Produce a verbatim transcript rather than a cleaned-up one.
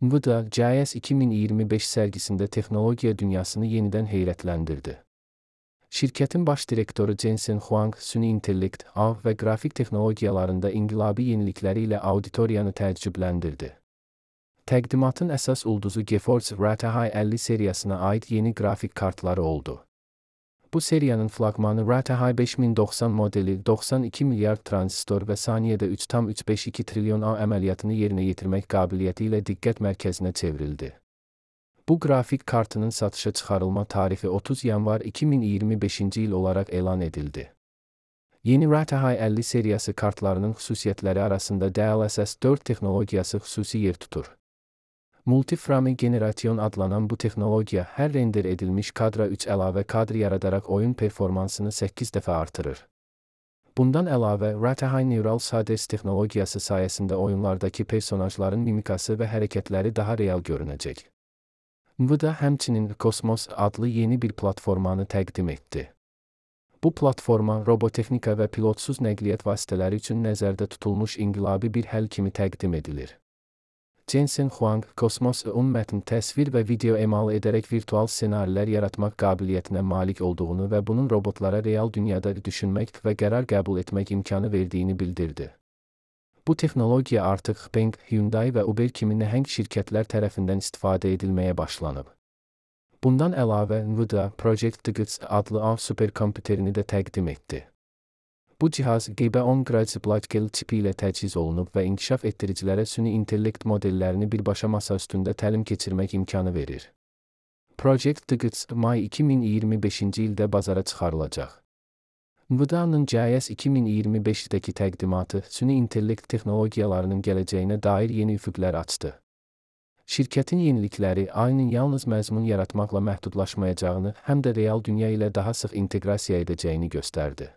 NVIDIA, C E S iki min iyirmi beş sərgisində texnologiya dünyasını yenidən heyrətləndirdi. Şirkətin baş direktoru Jensen Huang, süni intellekt, A I və qrafik texnologiyalarında inqilabi yenilikləri ilə auditoriyanı təəccübləndirdi. Təqdimatın əsas ulduzu GeForce R T X əlli seriyasına aid yeni qrafik kartları oldu. Bu seriyanın flaqmanı R T X beş min doxsan modeli doxsan iki milyard tranzistor və saniyədə üç tam üç beş iki trilyon A əməliyyatını yerinə yetirmək qabiliyyəti ilə diqqət mərkəzinə çevrildi. Bu qrafik kartının satışa çıxarılma tarihi otuz yanvar iki min iyirmi beşinci il olaraq elan edildi. Yeni R T X əlli seriyası kartlarının xüsusiyyətləri arasında D L S S dörd texnologiyası xüsusi yer tutur. Multiframe generasyon adlanan bu texnologiya hər render edilmiş kadra üç əlavə kadr yaradaraq oyun performansını səkkiz dəfə artırır. Bundan əlavə, R T X Neural Shaders texnologiyası sayəsində oyunlardakı personajların mimikası və hərəkətləri daha real görünəcək. NVIDIA həmçinin Cosmos adlı yeni bir platformanı təqdim etdi. Bu platforma robotexnika və pilotsuz nəqliyyat vasitələri üçün nəzərdə tutulmuş inqilabi bir həll kimi təqdim edilir. Jensen Huang, Cosmos-un mətn, təsvir və video emal edərək virtual ssenarilər yaratmaq qabiliyyətinə malik olduğunu və bunun robotlara real dünyada düşünmək və qərar qəbul etmək imkanı verdiyini bildirdi. Bu texnologiya artıq Bing, Hyundai və Uber kimi nəhəng şirkətlər tərəfindən istifadə edilməyə başlanıb. Bundan əlavə, NVIDIA Project Tickets adlı A I superkompüterini də təqdim etdi. Bu cihaz G B on Gradz-Blackwell çipi ilə təchiz olunub və inkişaf etdiricilərə süni intellekt modellərini birbaşa masa üstündə təlim keçirmək imkanı verir. Project Tickets may iki min iyirmi beşinci ildə bazara çıxarılacaq. NVIDIA-nın C E S iki min iyirmi beşdəki təqdimatı süni intellekt texnologiyalarının gələcəyinə dair yeni üfüqlər açdı. Şirkətin yenilikləri A I-nin yalnız məzmun yaratmaqla məhdudlaşmayacağını, həm də real dünya ilə daha sıx inteqrasiya edəcəyini göstərdi.